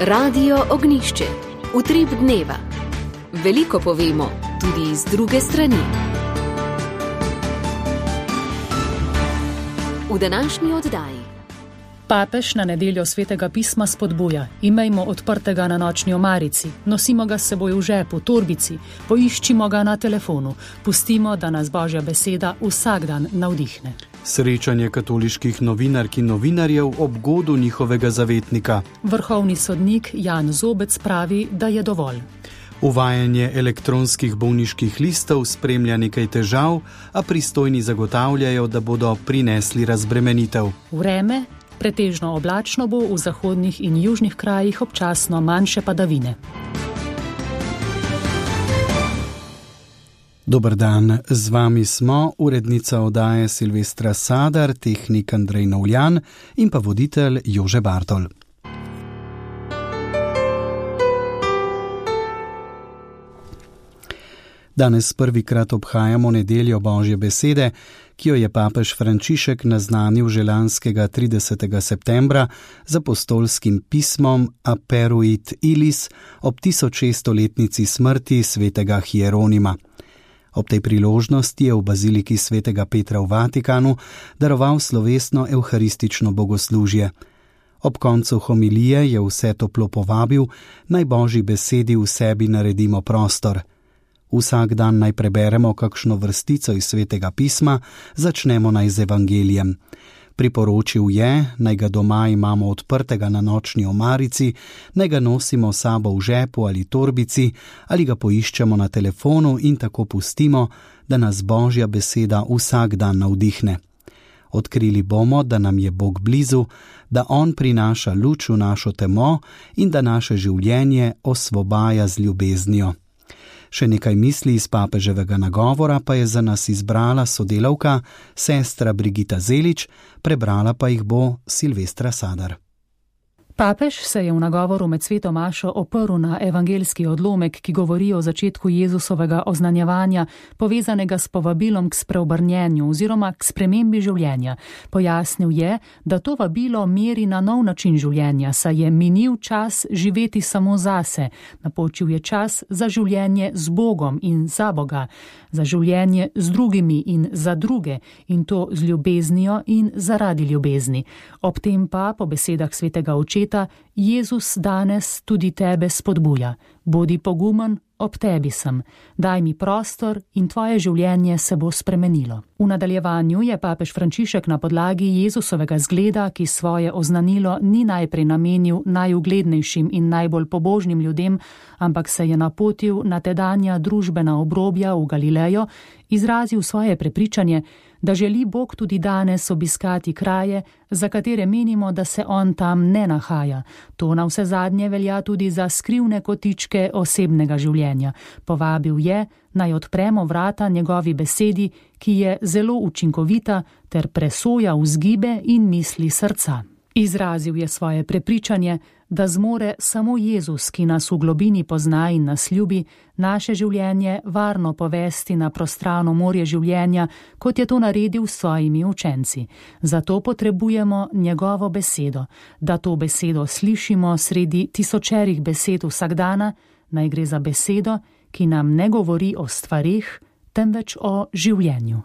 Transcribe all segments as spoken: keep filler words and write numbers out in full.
Radio Ognišče, utrip dneva. Veliko povemo, tudi iz druge strani. V današnji oddaji. Papež na nedeljo svetega pisma spodbuja: imejmo odprtega na nočni omarici, nosimo ga s seboj v žepu, torbici, poiščimo ga na telefonu, pustimo, da nas Božja beseda vsak dan navdihne. Srečanje katoliških novinark in novinarjev ob godu njihovega zavetnika. Vrhovni sodnik Jan Zobec pravi, da je dovolj. Uvajanje elektronskih bolniških listov spremlja nekaj težav, a pristojni zagotavljajo, da bodo prinesli razbremenitev. Vreme, pretežno oblačno bo, v zahodnih in južnih krajih občasno manjše padavine. Dober dan, z vami smo urednica oddaje Silvestra Sadar, tehnik Andrej Novljan in pa voditelj Jože Bartol. Danes prvikrat obhajamo nedeljo Božje besede, ki jo je papež Frančišek naznanil že lanskega tridesetega septembra z apostolskim pismom Aperuit Illis ob tisočšeststoletnici smrti svetega Hieronima. Ob tej priložnosti je v baziliki svetega Petra v Vatikanu daroval slovesno evharistično bogoslužje. Ob koncu homilije je vse toplo povabil, naj Božji besedi v sebi naredimo prostor. Vsak dan naj preberemo kakšno vrstico iz svetega pisma, začnemo naj z evangelijem. Priporočil je, naj ga doma imamo odprtega na nočni omarici, naj ga nosimo sabo v žepu ali torbici, ali ga poiščemo na telefonu in tako pustimo, da nas Božja beseda vsak dan navdihne. Odkrili bomo, da nam je Bog blizu, da On prinaša luč v našo temo in da naše življenje osvobaja z ljubeznijo. Še nekaj misli iz papeževega nagovora pa je za nas izbrala sodelavka, sestra Brigita Zelič, prebrala pa jih bo Silvestra Sadar. Papež se je v nagovoru med sveto mašo oprl na evangeljski odlomek, ki govori o začetku Jezusovega oznanjevanja, povezanega s povabilom k spreobrnjenju oziroma k spremembi življenja. Pojasnil je, da to vabilo meri na nov način življenja, saj je minil čas živeti samo zase, napočil je čas za življenje z Bogom in za Boga, za življenje z drugimi in za druge, in to z ljubeznijo in zaradi ljubezni. Ob tem pa, po besedah svetega očeta, Jezus danes tudi tebe spodbuja. Bodi pogumen, ob tebi sem. Daj mi prostor in tvoje življenje se bo spremenilo. V nadaljevanju je papež Frančišek na podlagi Jezusovega zgleda, ki svoje oznanilo ni najprej namenil najuglednejšim in najbolj pobožnim ljudem, ampak se je napotil na tedanja družbena obrobja v Galilejo, izrazil svoje prepričanje, da želi Bog tudi danes obiskati kraje, za katere menimo, da se On tam ne nahaja. To navsezadnje velja tudi za skrivne kotičke osebnega življenja. Povabil je, naj odpremo vrata njegovi besedi, ki je zelo učinkovita ter presoja vzgibe in misli srca. Izrazil je svoje prepričanje, da zmore samo Jezus, ki nas v globini pozna in nas ljubi, naše življenje varno povesti na prostrano morje življenja, kot je to naredil s svojimi učenci. Zato potrebujemo njegovo besedo, da to besedo slišimo sredi tisočerih besed vsakdana, naj gre za besedo, ki nam ne govori o stvarih, temveč o življenju.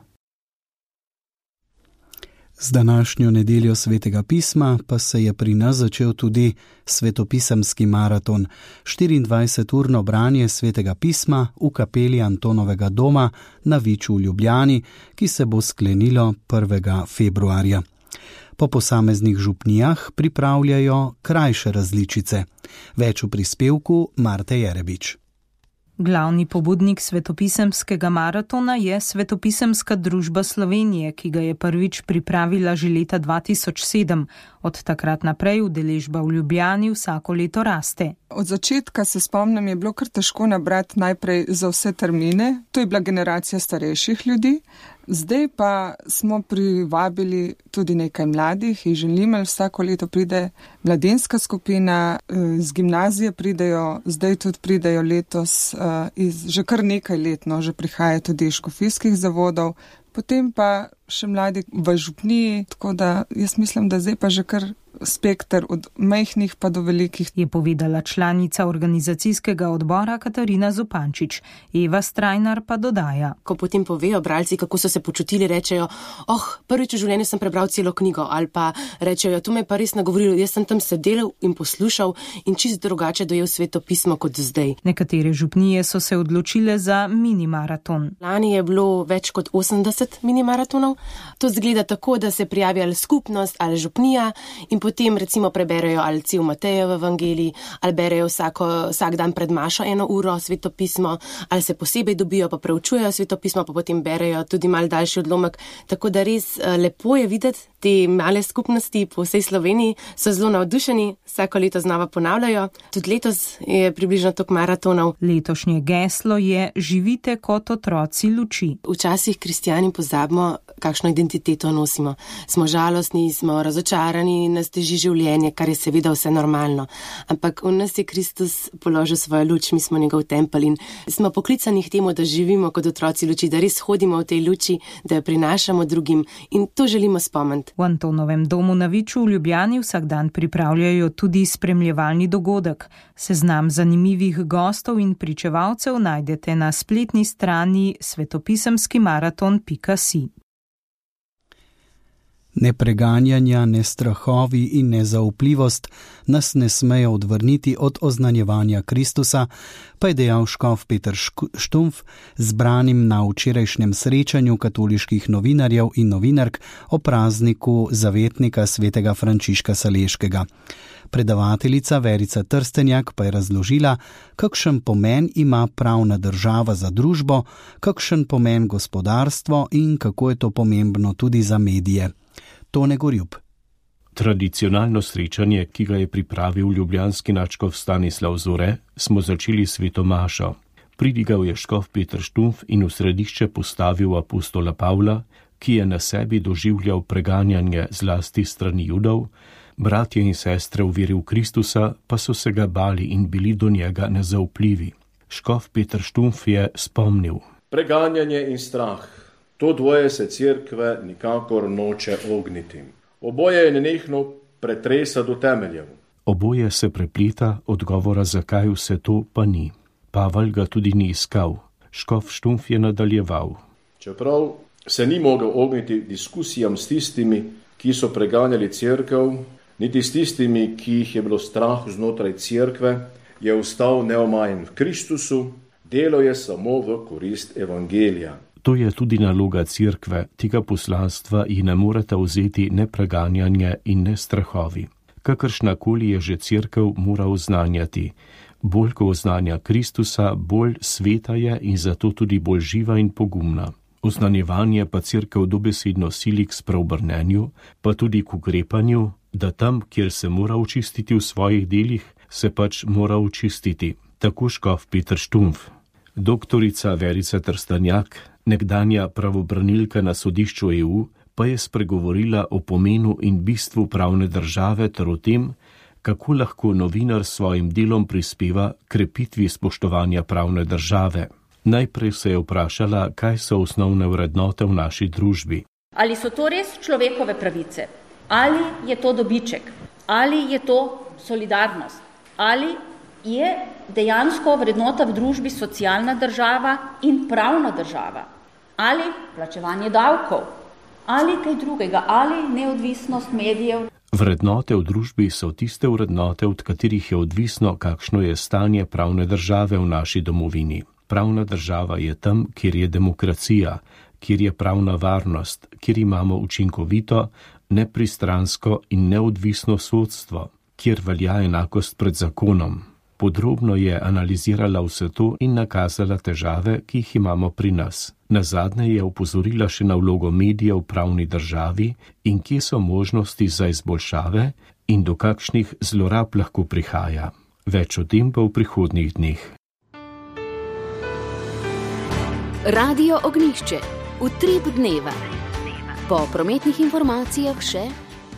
Z današnjo nedeljo svetega pisma pa se je pri nas začel tudi svetopisemski maraton, štiriindvajseturno branje svetega pisma v kapeli Antonovega doma na Viču v Ljubljani, ki se bo sklenilo prvega februarja. Po posameznih župnijah pripravljajo krajše različice. Več v prispevku Marte Jerebič. Glavni pobudnik svetopisemskega maratona je Svetopisemska družba Slovenije, ki ga je prvič pripravila že leta dva tisoč sedem. Od takrat naprej udeležba v Ljubljani vsako leto raste. Od začetka se spomnim, je bilo kar težko nabrati najprej za vse termine. To je bila generacija starejših ljudi. Zdaj pa smo privabili tudi nekaj mladih iz Želimelj. Vsako leto pride mladinska skupina, z gimnazije pridejo, zdaj tudi pridejo letos, iz, že kar nekaj let, no, že prihaja tudi iz škofijskih zavodov. Potem pa še mladi v župniji, tako da jaz mislim, da zdaj pa že kar spekter od majhnih pa do velikih. Je povedala članica organizacijskega odbora Katarina Zupančič. Eva Strajnar pa dodaja. Ko potem povejo bralci, kako so se počutili, rečejo, oh, prvič v življenju sem prebral celo knjigo, ali pa rečejo, to me je pa res nagovorilo, jaz sem tam sedel in poslušal in čisto drugače dojel Sveto pismo kot zdaj. Nekatere župnije so se odločile za mini maraton. Lani je bilo več kot osemdeset mini maratonov. To zgleda tako, da se prijavi ali skupnost ali župnija in potem recimo preberejo ali cel Matejev evangelij, ali berejo vsako, vsak dan pred mašo eno uro Sveto pismo, ali se posebej dobijo pa preučujejo Sveto pismo, pa potem berejo tudi mal daljši odlomek. Tako da res lepo je videti, te male skupnosti po vsej Sloveniji so zelo navdušeni, vsako leto znova ponavljajo. Tudi letos je približno toliko maratonov. Letošnje geslo je živite kot otroci luči. Včasih kristjani pozabimo, kakšno identiteto nosimo. Smo žalostni, smo razočarani, nas teži življenje, kar je seveda vse normalno. Ampak v nas je Kristus položil svojo luč, mi smo njegov tempelj in smo poklicani k temu, da živimo kot otroci luči, da res hodimo v tej luči, da jo prinašamo drugim in to želimo spomniti. V Antonovem domu na Viču v Ljubljani vsak dan pripravljajo tudi spremljevalni dogodek. Seznam zanimivih gostov in pričevalcev najdete na spletni strani svetopisemski maraton pika si. Ne preganjanja, ne strahovi in ne zaupljivost nas ne smejo odvrniti od oznanjevanja Kristusa, pa je dejal škof Peter Štumpf, zbranim na včerajšnjem srečanju katoliških novinarjev in novinark o prazniku zavetnika svetega Frančiška Saleškega. Predavateljica Verica Trstenjak pa je razložila, kakšen pomen ima pravna država za družbo, kakšen pomen gospodarstvo in kako je to pomembno tudi za medije. Tone Gorjub. Tradicionalno srečanje, ki ga je pripravil ljubljanski nadškof Stanislav Zore, smo začeli s sveto mašo. Pridigal je škof Peter Štumpf in v središče postavil apostola Pavla, ki je na sebi doživljal preganjanje zlasti strani Judov, bratje in sestre v veri v Kristusa pa so se ga bali in bili do njega nezaupljivi. Škof Peter Štumpf je spomnil. Preganjanje in strah. To dvoje se cerkve nikakor noče ogniti. Oboje je nenehno pretresa do temeljev. Oboje se prepleta, odgovora zakaj vse to pa ni. Pavel ga tudi ni iskal. Škof Štumpf je nadaljeval. Čeprav se ni mogel ogniti diskusijam s tistimi, ki so preganjali cerkev, niti s tistimi, ki jih je bilo strah znotraj cerkve, je ostal neomajen v Kristusu, delo je samo v korist evangelija. To je tudi naloga cerkve, tega poslanstva ji ne morete vzeti ne preganjanje in ne strahovi. Kakršnakoli je že cerkev mora oznanjati. Bolj ko oznanja Kristusa, bolj sveta je in zato tudi bolj živa in pogumna. Oznanjevanje pa cerkev dobesedno sili k spreobrnenju, pa tudi k ukrepanju, da tam, kjer se mora očistiti v svojih delih, se pač mora očistiti. Tako škof Peter Štumpf. Doktorica Verica Trstenjak, nekdanja pravobranilka na sodišču E U, pa je spregovorila o pomenu in bistvu pravne države ter o tem, kako lahko novinar s svojim delom prispeva k krepitvi spoštovanja pravne države. Najprej se je vprašala, kaj so osnovne vrednote v naši družbi. Ali so to res človekove pravice? Ali je to dobiček? Ali je to solidarnost? Ali je dejansko vrednota v družbi socialna država in pravna država? Ali plačevanje davkov? Ali kaj drugega? Ali neodvisnost medijev? Vrednote v družbi so tiste vrednote, od katerih je odvisno, kakšno je stanje pravne države v naši domovini. Pravna država je tam, kjer je demokracija, kjer je pravna varnost, kjer imamo učinkovito, nepristransko in neodvisno sodstvo, kjer velja enakost pred zakonom. Podrobno je analizirala vse to in nakazala težave, ki jih imamo pri nas. Nazadnje je opozorila še na vlogo medijev v pravni državi in kje so možnosti za izboljšave in do kakšnih zlorab lahko prihaja. Več o tem pa v prihodnjih dneh. Radio Ognjišče. Utrip dneva. Po prometnih informacijah še.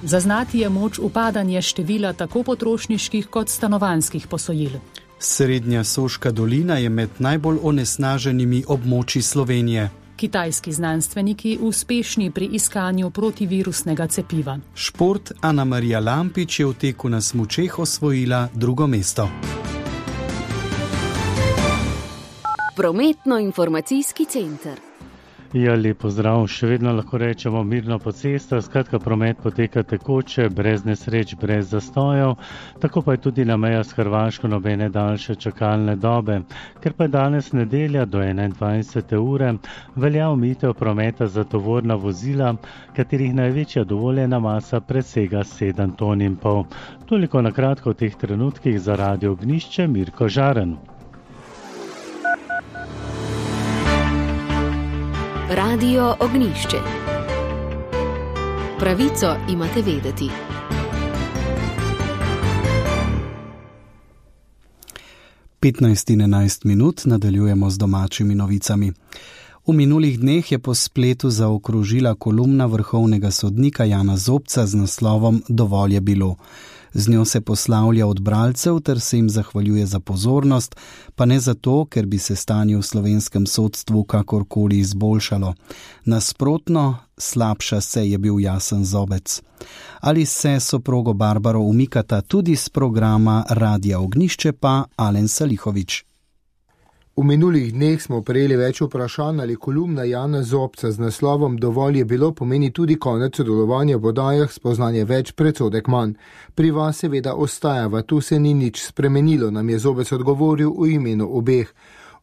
Zaznati je moč upadanje števila tako potrošniških kot stanovanjskih posojil. Srednja Soška dolina je med najbolj onesnaženimi območji Slovenije. Kitajski znanstveniki uspešni pri iskanju protivirusnega cepiva. Šport. Ana Marija Lampič je v teku na smučeh osvojila drugo mesto. Prometno-informacijski center. Ja, lep pozdrav, še vedno lahko rečemo mirno po cestah, skratka promet poteka tekoče, brez nesreč, brez zastojev, tako pa je tudi na meja s Hrvaško nobene daljše čakalne dobe. Ker pa je danes nedelja do enaindvajsete ure, velja omejitev prometa za tovorna vozila, katerih največja dovoljena masa presega sedem ton in pol. Toliko na kratko v teh trenutkih za Radio Ognjišče, Mirko Žaren. Radio Ognjišče. Pravico imate vedeti. petnajst in enajst minut nadaljujemo z domačimi novicami. V minulih dneh je po spletu zaokrožila kolumna vrhovnega sodnika Jana Zobca z naslovom Dovolj je bilo. Z njo se poslavlja od bralcev ter se jim zahvaljuje za pozornost, pa ne zato, ker bi se stanje v slovenskem sodstvu kakorkoli izboljšalo. Nasprotno, slabša se je bil Jasen Zobec. Ali se soprogo Barbaro umikata tudi z programa Radia Ognjišče, pa Alen Salihovič. V minulih dneh smo prejeli več vprašanj, ali kolumna Jana Zobca z naslovom Dovolj je bilo pomeni tudi konec sodelovanja v oddajah Spoznanje več, predsodek manj. Pri vas seveda ostajava, tu se ni nič spremenilo, nam je Zobec odgovoril v imenu obeh.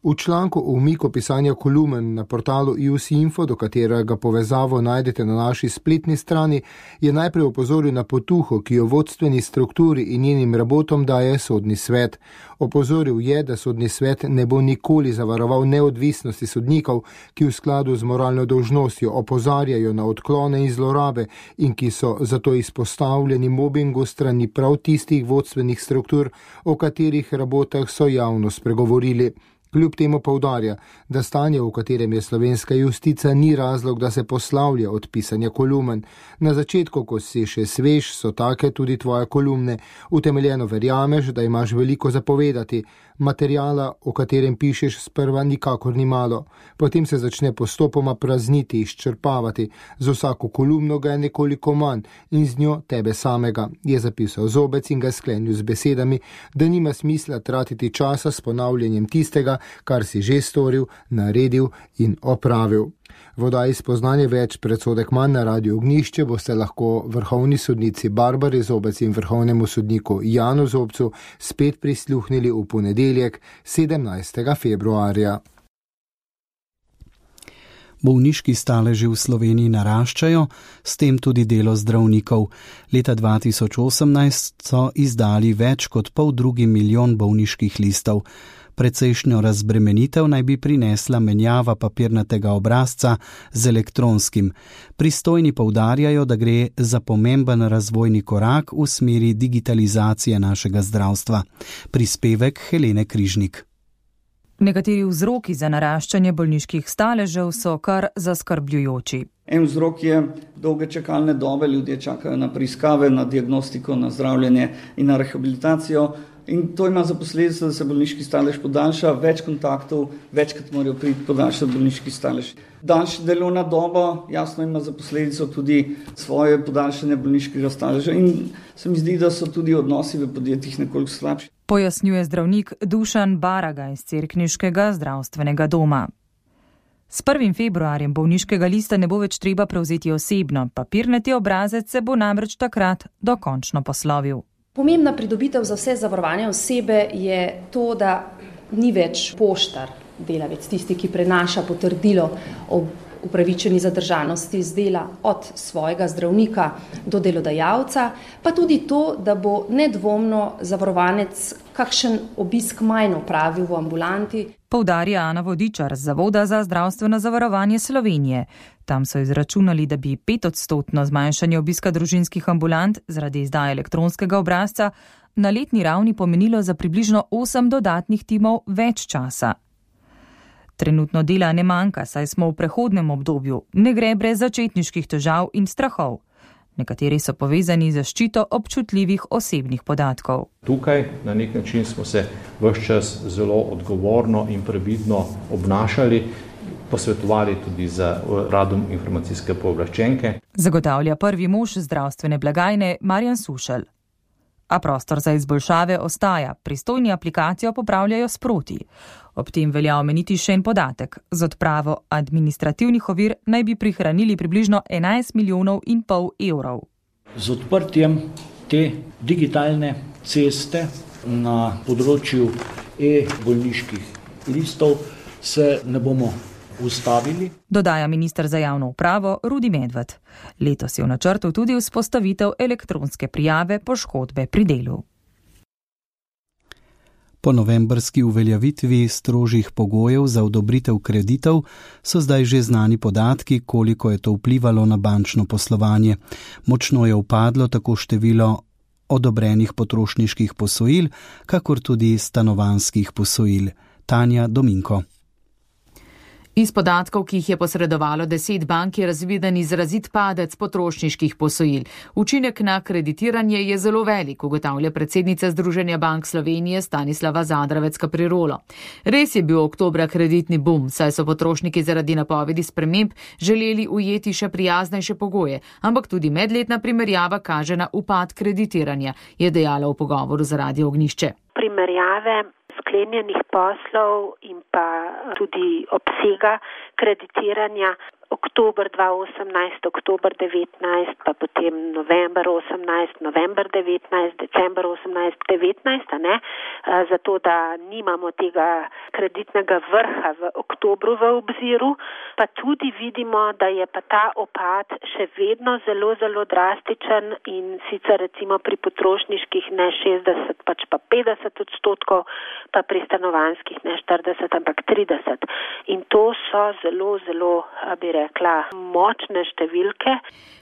V članku o umiku pisanja kolumen na portalu I U S Info, do katerega povezavo najdete na naši spletni strani, je najprej opozoril na potuho, ki jo vodstveni strukturi in njenim rabotom daje sodni svet. Opozoril je, da sodni svet ne bo nikoli zavaroval neodvisnosti sodnikov, ki v skladu z moralno dolžnostjo opozarjajo na odklone in zlorabe in ki so zato izpostavljeni mobingu strani prav tistih vodstvenih struktur, o katerih rabotah so javno spregovorili. Kljub temu poudarja, da stanje, v katerem je slovenska justica, ni razlog, da se poslavlja od pisanja kolumen. Na začetku, ko si še svež, so take tudi tvoje kolumne. Utemeljeno verjameš, da imaš veliko zapovedati. Materijala, o katerem pišeš, sprva nikakor ni malo. Potem se začne postopoma prazniti, izčrpavati. Z vsako kolumno ga je nekoliko manj in z njo tebe samega, je zapisal Zobec in ga sklenil z besedami, da nima smisla tratiti časa s ponavljanjem tistega, kar si že storil, naredil in opravil. V oddaji Spoznanje več, predsodek manj na Radiu Ognjišče boste lahko vrhovni sodnici Barbari Zobec in vrhovnemu sodniku Janu Zobcu spet prisluhnili v ponedeljek sedemnajstega februarja. Bolniški staleži v Sloveniji naraščajo, s tem tudi delo zdravnikov. Leta dva tisoč osemnajst so izdali več kot pol drugi milijon bolniških listov. Precejšnjo razbremenitev naj bi prinesla menjava papirnatega obrazca z elektronskim. Pristojni poudarjajo, da gre za pomemben razvojni korak v smeri digitalizacije našega zdravstva. Prispevek Helene Križnik. Nekateri vzroki za naraščanje bolniških staležev so kar zaskrbljujoči. En vzrok je dolge čakalne dobe, ljudje čakajo na preiskave, na diagnostiko, na zdravljenje in na rehabilitacijo. In to ima za posledico, da se bolniški stalež podaljša, več kontaktov, večkrat morajo priti podaljšati bolniški stalež. Daljša delovna doba jasno ima za posledico tudi svoje podaljšanje bolniškega staleža in se mi zdi, da so tudi odnosi v podjetjih nekoliko slabši. Pojasnjuje zdravnik Dušan Baraga iz Cerkniškega zdravstvenega doma. S prvim februarjem bolniškega lista ne bo več treba prevzeti osebno, papirnati obrazec se bo namreč takrat dokončno poslovil. Pomembna pridobitev za vse zavarovane osebe je to, da ni več poštar delavec, tisti, ki prenaša potrdilo o upravičeni zadržanosti z dela od svojega zdravnika do delodajalca, pa tudi to, da bo nedvomno zavarovanec kakšen obisk manj opravil v ambulanti. Poudarja Ana Vodičar z Zavoda za zdravstveno zavarovanje Slovenije. Tam so izračunali, da bi petodstotno zmanjšanje obiska družinskih ambulant zaradi izdaje elektronskega obrazca na letni ravni pomenilo za približno osem dodatnih timov več časa. Trenutno dela ne manjka, saj smo v prehodnem obdobju, ne gre brez začetniških težav in strahov. Nekateri so povezani z zaščito občutljivih osebnih podatkov. Tukaj na nek način smo se ves čas zelo odgovorno in previdno obnašali. posvetovali tudi z uradom informacijske pooblaščenke. Zagotavlja prvi mož zdravstvene blagajne Marjan Sušelj. A prostor za izboljšave ostaja, pristojni aplikacijo popravljajo sproti. Ob tem velja omeniti še en podatek. Z odpravo administrativnih ovir naj bi prihranili približno enajst milijonov in pol evrov. Z odprtjem te digitalne ceste na področju e-bolniških listov se ne bomo ustavili. Dodaja minister za javno upravo Rudi Medved. Letos je v načrtu tudi vzpostavitev elektronske prijave poškodbe pri delu. Po novembrski uveljavitvi strožjih pogojev za odobritev kreditov so zdaj že znani podatki, koliko je to vplivalo na bančno poslovanje. Močno je upadlo tako število odobrenih potrošniških posojil, kakor tudi stanovanjskih posojil. Tanja Dominko. Iz podatkov, ki jih je posredovalo deset bank, je razviden izrazit padec potrošniških posojil. Učinek na kreditiranje je zelo velik, ugotavlja predsednica Združenja bank Slovenije Stanislava Zadravec-Kaprirolo. Res je bil oktobra kreditni bum, saj so potrošniki zaradi napovedi sprememb želeli ujeti še prijaznejše pogoje, ampak tudi medletna primerjava kaže na upad kreditiranja, je dejala v pogovoru za Radio Ognjišče. Primerjave sklenjenih poslov in pa tudi obsega kreditiranja oktober dva osemnajst, oktober devetnajst, pa potem november osemnajst, november devetnajst, december osemnajst, devetnajst, a ne, zato da nimamo tega kreditnega vrha v oktobru v obziru, pa tudi vidimo, da je pa ta opad še vedno zelo, zelo drastičen in sicer recimo pri potrošniških ne šestdeset, pač pa petdeset odstotkov, pa pri stanovanjskih ne štirideset, ampak trideset. In to so zelo, zelo, bi rekla, močne številke.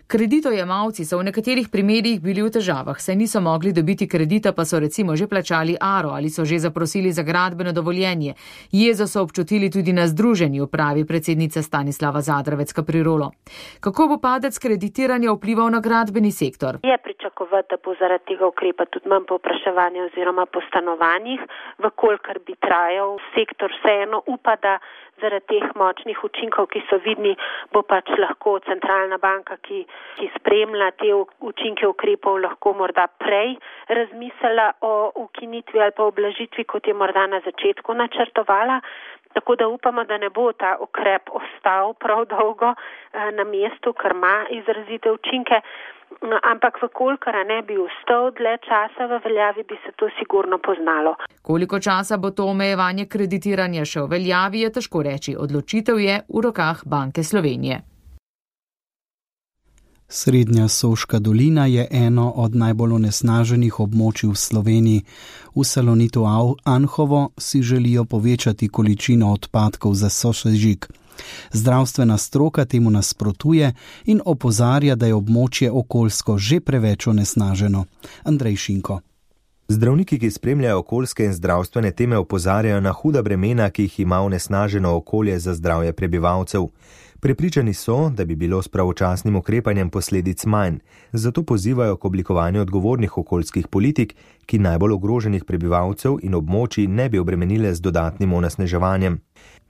Kreditojemalci so v nekaterih primerjih bili v težavah, saj niso mogli dobiti kredita, pa so recimo že plačali aro ali so že zaprosili za gradbeno dovoljenje. Jezo so občutili tudi na združenju, pravi predsednica Stanislava Zadravec-Kaprirolo. Kako bo padec kreditiranja vplival na gradbeni sektor? Je pričakovati, da bo zaradi tega ukrepa tudi manj povpraševanja oziroma po stanovanjih, vkolikor bi trajal. Sektor vseeno upa, da zaradi teh močnih učinkov, ki so vidni, bo pač lahko centralna banka, ki, ki spremlja te učinke ukrepov, lahko morda prej razmislila o ukinitvi ali pa oblažitvi, kot je morda na začetku načrtovala. Tako da upamo, da ne bo ta ukrep ostal prav dolgo na mestu, ker ima izrazite učinke. Ampak vkolikor ne bi ostal dlje časa v veljavi, bi se to sigurno poznalo. Koliko časa bo to omejevanje kreditiranja še v veljavi, je težko reči. Odločitev je v rokah Banke Slovenije. Srednja Soška dolina je eno od najbolj onesnaženih območij v Sloveniji. V Salonitu Anhovo si želijo povečati količino odpadkov za sosežig. Zdravstvena stroka temu nasprotuje in opozarja, da je območje okoljsko že preveč onesnaženo. Andrej Šinko. Zdravniki, ki spremljajo okoljske in zdravstvene teme, opozarjajo na huda bremena, ki jih ima onesnaženo okolje za zdravje prebivalcev. Prepričani so, da bi bilo s pravočasnim ukrepanjem posledic manj, zato pozivajo k oblikovanju odgovornih okoljskih politik, ki najbolj ogroženih prebivalcev in območij ne bi obremenile z dodatnim onesnaževanjem.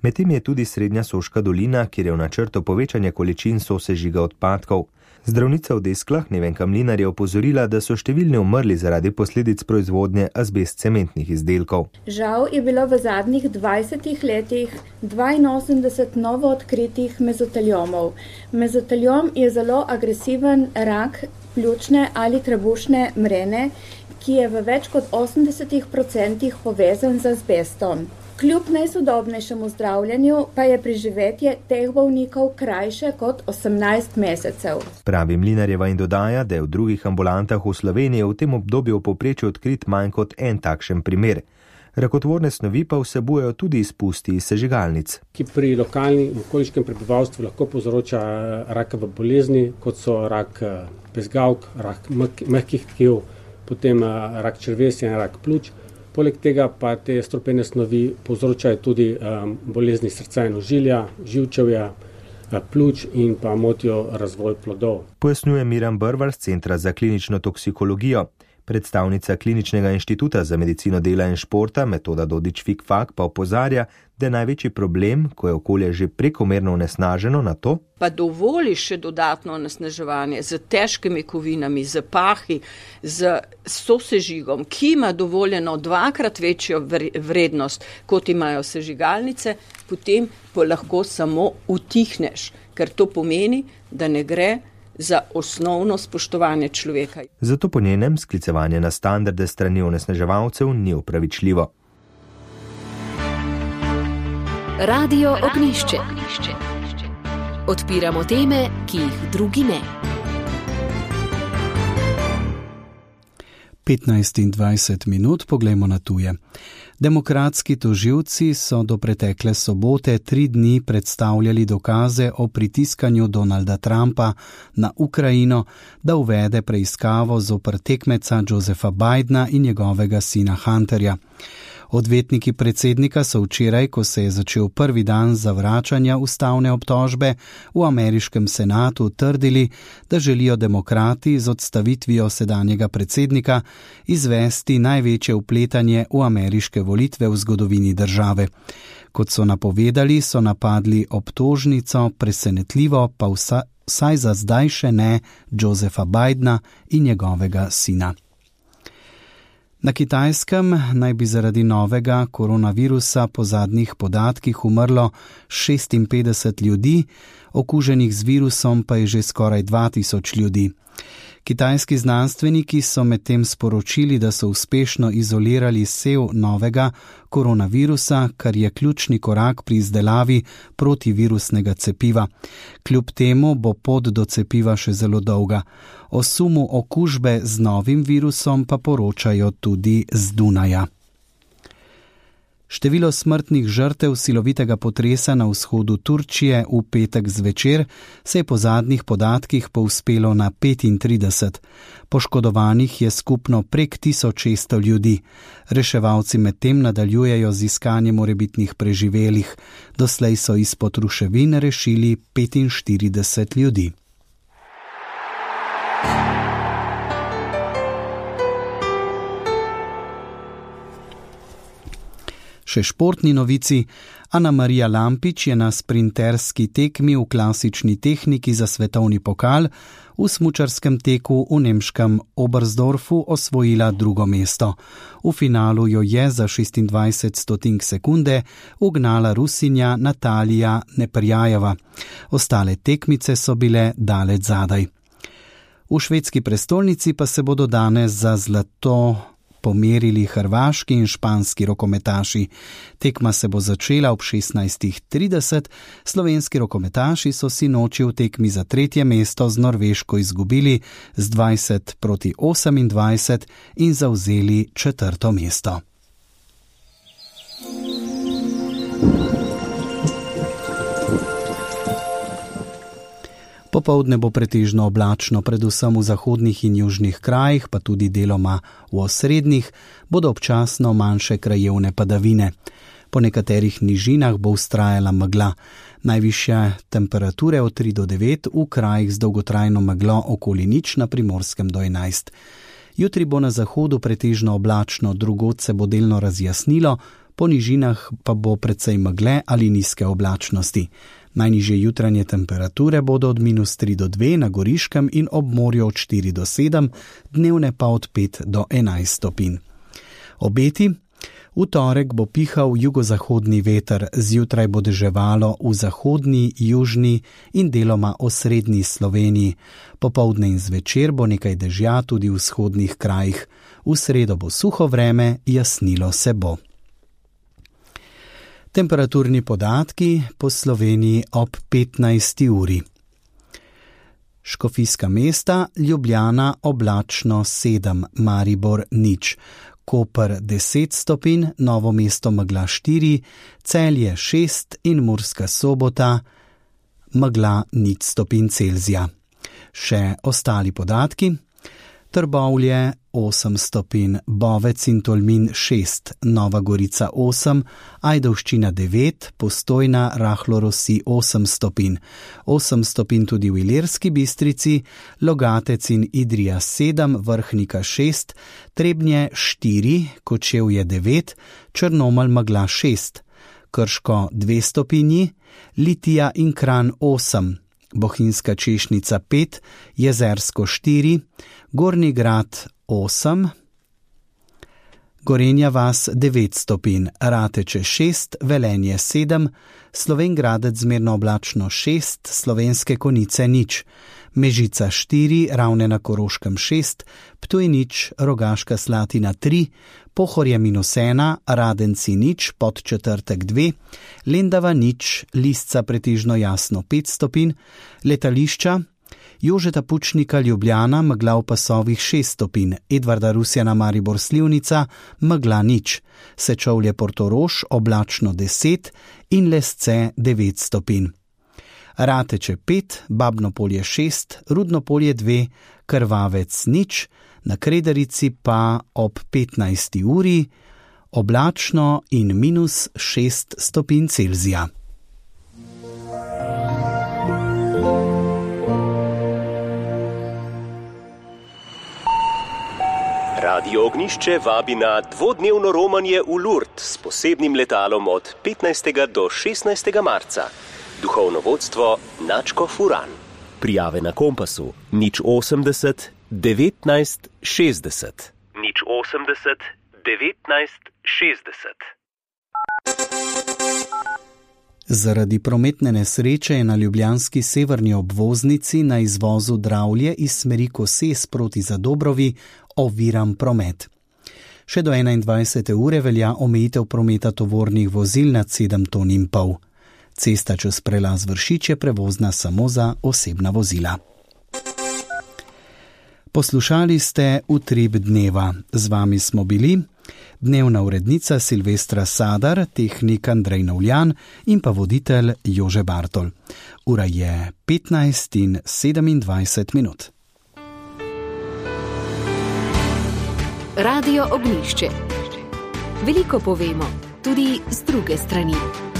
Medtem je tudi Srednja Soška dolina, kjer je v načrtu povečanje količin sosežiga odpadkov. Zdravnica v Desklah Nevenka Mlinar je opozorila, da so številni umrli zaradi posledic proizvodnje azbest cementnih izdelkov. Žal je bilo v zadnjih dvajsetih letih dvainosemdeset novo odkritih mezoteliomov. Mezoteliom je zelo agresiven rak pljučne ali trebušne mrene, ki je v več kot osemdesetih odstotkih povezan z azbestom. Kljub najsodobnejšemu zdravljenju pa je preživetje teh bolnikov krajše kot osemnajst mesecev. Pravi Mlinarjeva in dodaja, da je v drugih ambulantah v Sloveniji v tem obdobju v povprečju odkrit manj kot en takšen primer. Rakotvorne snovi pa vsebujejo tudi izpusti iz sežigalnic. Ki pri lokalnem okoliškem prebivalstvu lahko povzroča rakave bolezni, kot so rak bezgavk, rak mehkih tkiv, potem rak črevesja in rak pljuč. Poleg tega pa te strupene snovi povzročajo tudi um, bolezni srca in ožilja, živčevja, pljuč in pa motijo razvoj plodov. Pojasnjuje Miran Brvar z Centra za klinično toksikologijo. Predstavnica Kliničnega inštituta za medicino dela in športa Metoda Dodič-Fikfak pa opozarja, da je največji problem, ko je okolje že prekomerno onesnaženo, na to, pa dovoli še dodatno onesnaževanje z težkimi kovinami, z pahi, z sosežigom, ki ima dovoljeno dvakrat večjo vrednost, kot imajo sežigalnice, potem pa lahko samo utihneš, ker to pomeni, da ne gre za osnovno spoštovanje človeka. Zato po njenem sklicevanje na standarde strani onesnaževalcev ni upravičljivo. Radio Ognjišče. Odpiramo teme, ki jih drugi ne. petnajst in dvajset minut, poglejmo na tuje. Demokratski tožilci so do pretekle sobote tri dni predstavljali dokaze o pritiskanju Donalda Trumpa na Ukrajino, da uvede preiskavo zoper tekmeca Josepha Bidena in njegovega sina Hunterja. Odvetniki predsednika so včeraj, ko se je začel prvi dan zavračanja ustavne obtožbe, v ameriškem senatu trdili, da želijo demokrati z odstavitvijo sedanjega predsednika izvesti največje vpletanje v ameriške volitve v zgodovini države. Kot so napovedali, so napadli obtožnico, presenetljivo pa vsa, vsaj za zdaj še ne Josepha Bidena in njegovega sina. Na Kitajskem naj bi zaradi novega koronavirusa po zadnjih podatkih umrlo šestinpetdeset ljudi, okuženih z virusom pa je že skoraj dva tisoč ljudi. Kitajski znanstveniki so medtem sporočili, da so uspešno izolirali sev novega koronavirusa, kar je ključni korak pri izdelavi protivirusnega cepiva. Kljub temu bo pot do cepiva še zelo dolga. O sumu okužbe z novim virusom pa poročajo tudi z Dunaja. Število smrtnih žrtev silovitega potresa na vzhodu Turčije v petek zvečer se je po zadnjih podatkih povzpelo na petintrideset. Poškodovanih je skupno prek tisoč šeststo ljudi. Reševalci medtem nadaljujejo z iskanjem morebitnih preživelih. Doslej so izpod ruševin rešili petinštirideset ljudi. Še športni novici. Ana Marija Lampič je na sprinterski tekmi v klasični tehniki za svetovni pokal v smučarskem teku v nemškem Oberstdorfu osvojila drugo mesto. V finalu jo je za šestindvajset stotink sekunde ugnala Rusinja Natalija Neprjajeva. Ostale tekmice so bile daleč zadaj. V švedski prestolnici pa se bodo danes za zlato pomerili hrvaški in španski rokometaši. Tekma se bo začela ob šestnajst trideset. Slovenski rokometaši so si noči v tekmi za tretje mesto z Norveško izgubili z dvajset proti osemindvajset in zavzeli četrto mesto. Popoldne bo pretežno oblačno, predvsem v zahodnih in južnih krajih, pa tudi deloma v osrednjih, bodo občasno manjše krajevne padavine. Po nekaterih nižinah bo vztrajala megla. Najvišje temperature od tri do devet, v krajih z dolgotrajno meglo okoli nič, na Primorskem do enajst. Jutri bo na zahodu pretežno oblačno, drugod se bo delno razjasnilo, po nižinah pa bo precej megle ali nizke oblačnosti. Najnižje jutranje temperature bodo od minus tri do dve na Goriškem in ob morju od štiri do sedem, dnevne pa od pet do enajst stopinj. Obeti. V torek bo pihal jugozahodni veter, zjutraj bo deževalo v zahodni, južni in deloma osrednji Sloveniji. Popoldne in zvečer bo nekaj dežja tudi v vzhodnih krajih. V sredo bo suho vreme, jasnilo se bo. Temperaturni podatki po Sloveniji ob petnajsti uri. Škofijska mesta, Ljubljana oblačno sedem, Maribor nič, Koper deset stopinj, Novo mesto megla štiri, Celje šest in Murska Sobota megla nič stopinj Celzija. Še ostali podatki. Trbovlje osem stopinj, Bovec in Tolmin šest, Nova Gorica osem, Ajdovščina devet, Postojna rahlo rosi osem stopinj, osem stopinj tudi v Ilirski Bistrici, Logatec in Idrija sedem, Vrhnika šest, Trebnje štiri, Kočevje devet, Črnomelj megla šest, Krško dve stopinji, Litija in Kranj osem, Bohinjska Češnica pet, Jezersko štiri, Gornji Grad osem, Gorenja vas devet stopinj, Rateče šest, Velenje sedem, Slovenj Gradec zmerno oblačno šest, Slovenske Konjice nič, Mežica štiri, Ravne na Koroškem šest, Ptuj nič, Rogaška Slatina tri, Pohorje minus ena, Radenci nič, Podčetrtek dve, Lendava nič, Lisca pretežno jasno pet stopinj, letališča Jožeta Pučnika Ljubljana megla v pasovih šest stopinj, Edvarda Rusjana Maribor Slivnica megla nič, Sečovlje Portorož oblačno deset in Lesce devet stopinj. Rateče pet, Babno Polje šest, Rudno Polje dve, Krvavec nič, na Krederici pa ob petnajsti uri oblačno in minus šest stopinj Celzija. Radio Ognjišče vabi na dvodnevno romanje v Lourdes s posebnim letalom od petnajstega do šestnajstega marca. Duhovno vodstvo Načko Furan. Prijave na Kompasu nič osemdeset devetnajst šestdeset. nič osemdeset devetnajst šestdeset. Zaradi prometne nesreče je na ljubljanski severni obvoznici na izvozu Dravlje iz smeri Koses proti Zadobrovi oviran promet. Še do enaindvajsete ure velja omejitev prometa tovornih vozil nad sedem ton in pol. Cesta čez prelaz Vršič je prevozna samo za osebna vozila. Poslušali ste Utrip dneva. Z vami smo bili dnevna urednica Silvestra Sadar, tehnik Andrej Novljan in pa voditelj Jože Bartol. Ura je petnajst in sedemindvajset minut. Radio Ognjišče. Veliko povemo, tudi z druge strani.